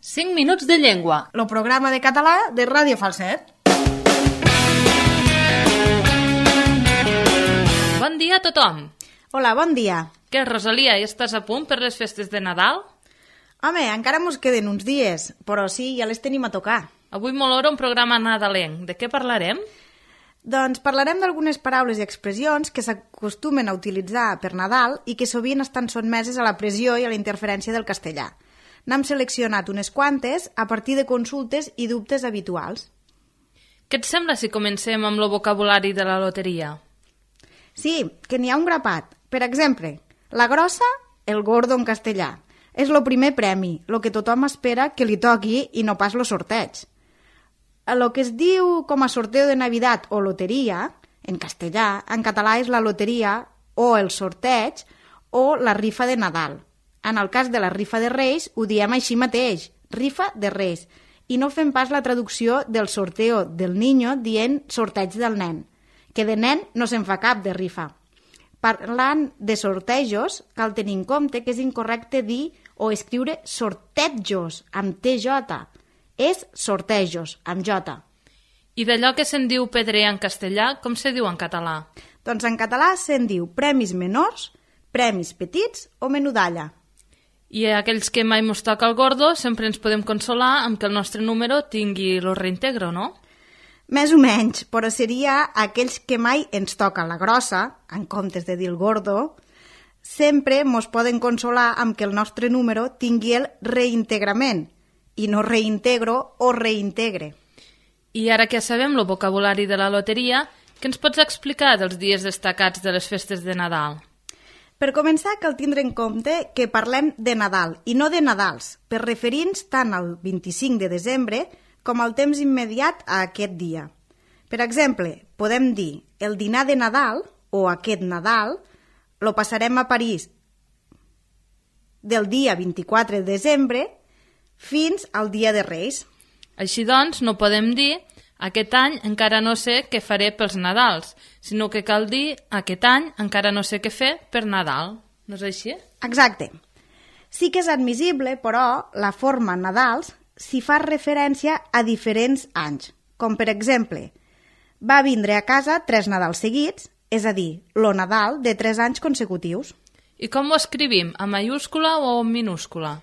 5 minuts de llengua. El programa de català de Ràdio Falset. Bon dia a tothom. Hola, bon dia. Què, Rosalia, ja estàs a punt per les festes de Nadal? Home, encara mos queden uns dies, però sí, ja les tenim a tocar. Avui m'olora un programa nadalenc. De què parlarem? Doncs parlarem d'algunes paraules i expressions que s'acostumen a utilitzar per Nadal i que sovint estan sotmeses a la pressió i a la interferència del castellà. N'hem seleccionat unes quantes a partir de consultes i dubtes habituals. Què et sembla si comencem amb el vocabulari de la loteria? Sí, que n'hi ha un grapat. Per exemple, la grossa, el gordo en castellà. És el primer premi, el que tothom espera que li toqui i no pas el sorteig. El que es diu com a sorteo de Navidad o loteria, en castellà, en català és la loteria o el sorteig o la rifa de Nadal. En el cas de la rifa de Reis ho diem així mateix, rifa de Reis, i no fem pas la traducció del sorteo del niño dient sorteig del nen, que de nen no se'n fa cap de rifa. Parlant de sortejos, cal tenir en compte que és incorrecte dir o escriure sortejos amb TJ. És sortejos amb J. I d'allò que se'n diu pedrer en castellà, com se diu en català? Doncs en català se'n diu premis menors, premis petits o menudalla. I a aquells que mai mos toca el gordo sempre ens podem consolar amb que el nostre número tingui el reintegro, no? Més o menys, però seria aquells que mai ens toca la grossa, en comptes de dir el gordo, sempre mos poden consolar amb que el nostre número tingui el reintegrament, i no reintegro o reintegre. I ara que sabem el vocabulari de la loteria, què ens pots explicar dels dies destacats de les festes de Nadal? Per començar, cal tindre en compte que parlem de Nadal i no de Nadals, per referir-nos tant al 25 de desembre com al temps immediat a aquest dia. Per exemple, podem dir el dinar de Nadal o aquest Nadal lo passarem a París del dia 24 de desembre fins al dia de Reis. Així doncs, no podem dir aquest any encara no sé què faré pels Nadals, sinó que cal dir aquest any encara no sé què fer per Nadal. No és així? Exacte. Sí que és admissible, però, la forma Nadals si fa referència a diferents anys, com per exemple, va vindre a casa 3 Nadals seguits, és a dir, lo Nadal de 3 anys consecutius. I com ho escrivim, en mayúscula o en minúscula?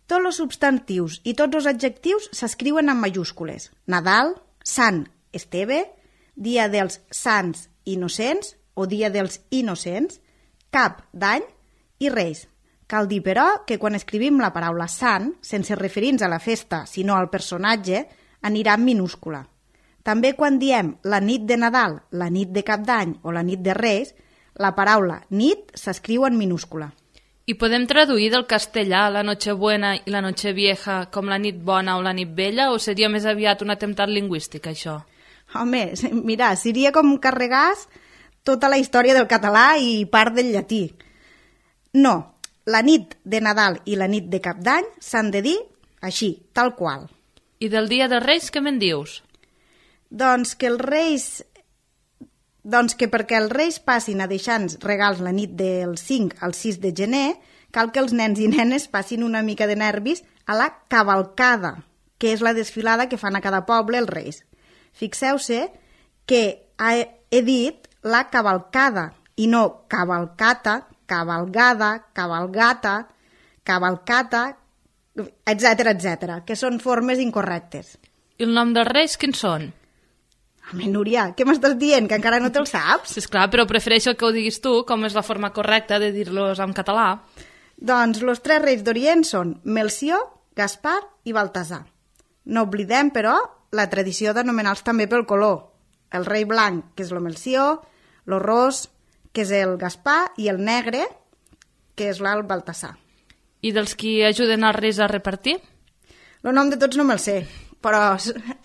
Tots els substantius i tots els adjectius s'escriuen en majúscules. Nadal, Sant Esteve, Dia dels Sants Innocents o Dia dels Innocents, Cap d'Any i Reis. Cal dir, però, que quan escrivim la paraula sant, sense referir-nos a la festa, sinó al personatge, anirà en minúscula. També quan diem la nit de Nadal, la nit de Cap d'Any o la nit de Reis, la paraula nit s'escriu en minúscula. I podem traduir del castellà la Nochebuena i la Nochevieja com la nit bona o la nit vella, o seria més aviat un atemptat lingüístic, això? Home, mira, seria com carregàs tota la història del català i part del llatí. No, la nit de Nadal i la nit de Cap d'Any s'han de dir així, tal qual. I del dia dels Reis què me'n dius? Doncs que perquè els Reis passin a deixar-nos regals la nit del 5 al 6 de gener, cal que els nens i nenes passin una mica de nervis a la cavalcada, que és la desfilada que fan a cada poble els Reis. Fixeu-se que he dit la cavalcada i no cavalcata, cavalgada, cavalgata, cavalcata, etc., que són formes incorrectes. I el nom dels Reis quins són? Home, Núria, què m'estàs dient? Que encara no te'l saps? Sí, esclar, però prefereixo que ho diguis tu, com és la forma correcta de dir-los en català. Doncs els 3 reis d'Orient són Melcior, Gaspar i Baltasar. No oblidem, però, la tradició d'anomenar-los també pel color. El rei blanc, que és el Melcior, el ros, que és el Gaspar, i el negre, que és el Baltasar. I dels qui ajuden els Reis a repartir? El nom de tots no me'l sé, però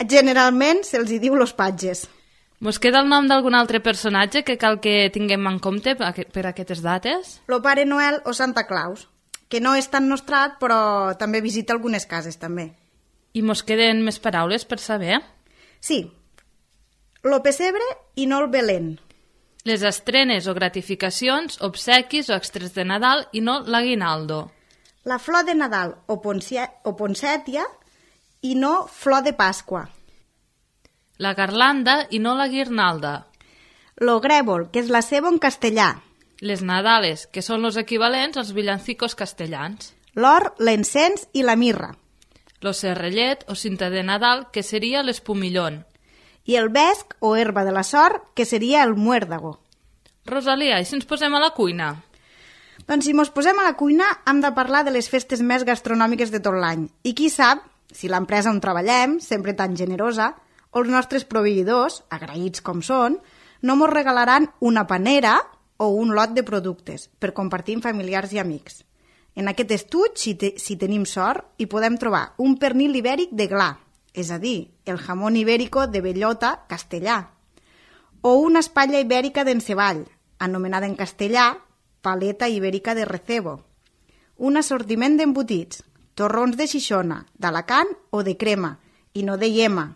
generalment se'ls hi diu los patges. Mos queda el nom d'algun altre personatge que cal que tinguem en compte per aquestes dates? Lo Pare Noel o Santa Claus, que no és tan nostrat, però també visita algunes cases, també. I mos queden més paraules per saber? Sí, lo pessebre i no el Belén. Les estrenes o gratificacions, obsequis o extres de Nadal i no l'aguinaldo. La flor de Nadal o poncètia i no flor de Pasqua. La garlanda i no la guirnalda. Lo grèvol, que és la ceba en castellà. Les nadales, que són els equivalents als villancicos castellans. L'or, l'encens i la mirra. Lo serrellet o cinta de Nadal, que seria l'espumillón. I el vesc o herba de la sort, que seria el muérdago. Rosalia, i si ens posem a la cuina? Doncs si mos posem a la cuina hem de parlar de les festes més gastronòmiques de tot l'any. I qui sap, si l'empresa on treballem, sempre tan generosa, o els nostres proveïdors, agraïts com són, no mos regalaran una panera o un lot de productes per compartir amb familiars i amics. En aquest estuig, si tenim sort, hi podem trobar un pernil ibèric de gla, és a dir, el jamón ibérico de bellota castellà, o una espatlla ibèrica d'enceball, anomenada en castellà paleta ibèrica de recebo, un assortiment d'embotits, torrons de Xixona, d'Alacant o de crema, i no de iema,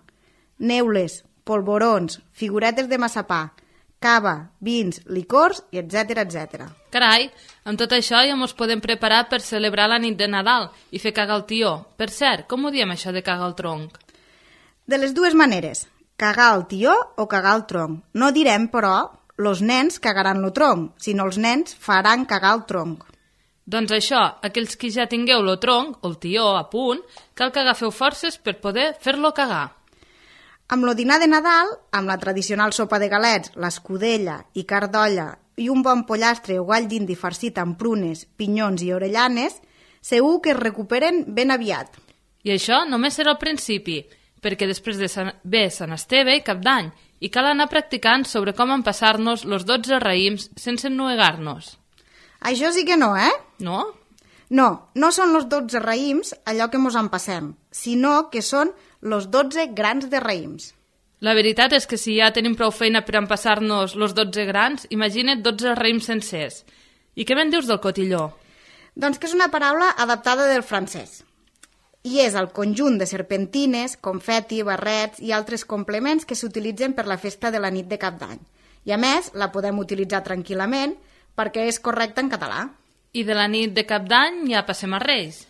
neules, polvorons, figuretes de massapà, cava, vins, licors, i etc. Carai, amb tot això ja ens podem preparar per celebrar la nit de Nadal i fer cagar el tió. Per cert, com ho diem això de cagar el tronc? De les dues maneres, cagar el tió o cagar el tronc. No direm, però, los nens cagaran lo tronc, sinó els nens faran cagar el tronc. Doncs això, aquells que ja tingueu lo tronc o el tió a punt, cal que agafeu forces per poder fer-lo cagar. Amb lo dinar de Nadal, amb la tradicional sopa de galets, l'escudella i carn d'olla i un bon pollastre o gall d'indi farcit amb prunes, pinyons i orellanes, segur que es recuperen ben aviat. I això només serà el principi, perquè després de ve Sant Esteve i Cap d'Any, i cal anar practicant sobre com empassar-nos los 12 raïms sense ennuegar-nos. Això sí que no, eh? No? No, no són los 12 raïms allò que mos empassem, sinó que són los 12 grans de raïms. La veritat és que si ja tenim prou feina per empassar-nos los 12 grans, imagina't 12 raïms sencers. I què me'n dius del cotilló? Doncs que és una paraula adaptada del francès. I és el conjunt de serpentines, confeti, barrets i altres complements que s'utilitzen per la festa de la nit de Cap d'Any. I a més, la podem utilitzar tranquil·lament perquè és correcta en català. I de la nit de Cap d'Any ja passem a Reis.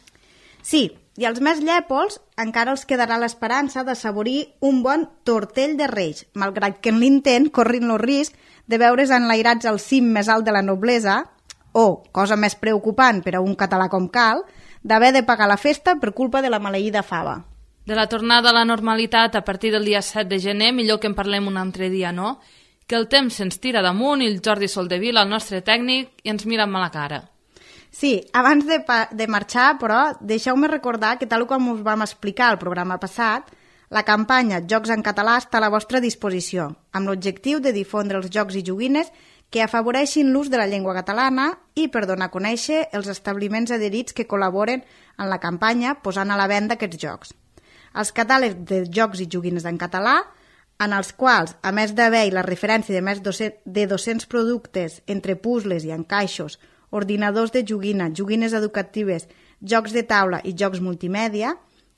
Sí, i als més llèpols encara els quedarà l'esperança d'assaborir un bon tortell de Reis, malgrat que en l'intent corrin el risc de veure's enlairats al cim més alt de la noblesa o, cosa més preocupant per a un català com cal, d'haver de pagar la festa per culpa de la maleïda fava. De la tornada a la normalitat a partir del dia 7 de gener, millor que en parlem un altre dia, no? Que el temps se'ns tira damunt i el Jordi Soldevila, el nostre tècnic, i ens mira amb la cara. Sí, abans de marxar, però, deixeu-me recordar que tal com us vam explicar al programa passat, la campanya Jocs en Català està a la vostra disposició, amb l'objectiu de difondre els jocs i joguines que afavoreixin l'ús de la llengua catalana i per donar a conèixer els establiments adherits que col·laboren en la campanya posant a la venda aquests jocs. Els catàlegs de jocs i joguines en català, en els quals, a més d'haver la referència de més de 200 productes entre puzzles i encaixos, ordinadors de joguina, joguines educatives, jocs de taula i jocs multimèdia,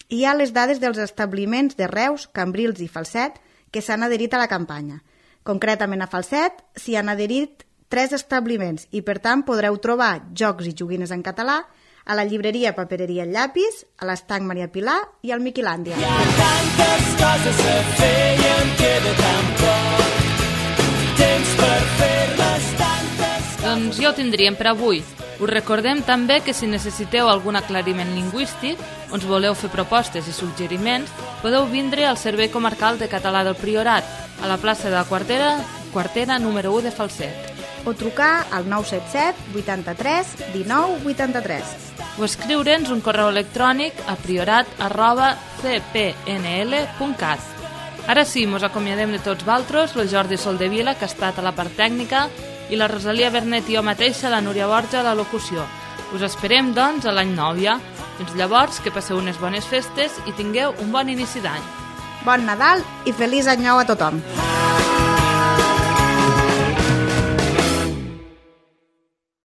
hi ha les dades dels establiments de Reus, Cambrils i Falset que s'han adherit a la campanya. Concretament a Falset s'hi han adherit 3 establiments i per tant podreu trobar jocs i joguines en català a la llibreria Papereria El Llapis, a l'estanc Maria Pilar i al Miquilàndia. Hi ha tantes coses a fer i em queda tan poc temps per fer-les tantes. Doncs ja ho tindríem per avui. Us recordem també que si necessiteu algun aclariment lingüístic o ens voleu fer propostes i suggeriments, podeu vindre al Servei Comarcal de Català del Priorat, a la plaça de la Quartera número 1 de Falset. O trucar al 977 83 19 83. O escriure'ns un correu electrònic a priorat@cpnl.cat. Ara sí, mos acomiadem de tots valtros, el Jordi Soldevila, que ha estat a la part tècnica, i la Rosalia Bernet i jo mateixa, la Núria Borja, a la locució. Us esperem, doncs, a l'any nou ja. Fins llavors, que passeu unes bones festes i tingueu un bon inici d'any. Bon Nadal i feliç any nou a tothom!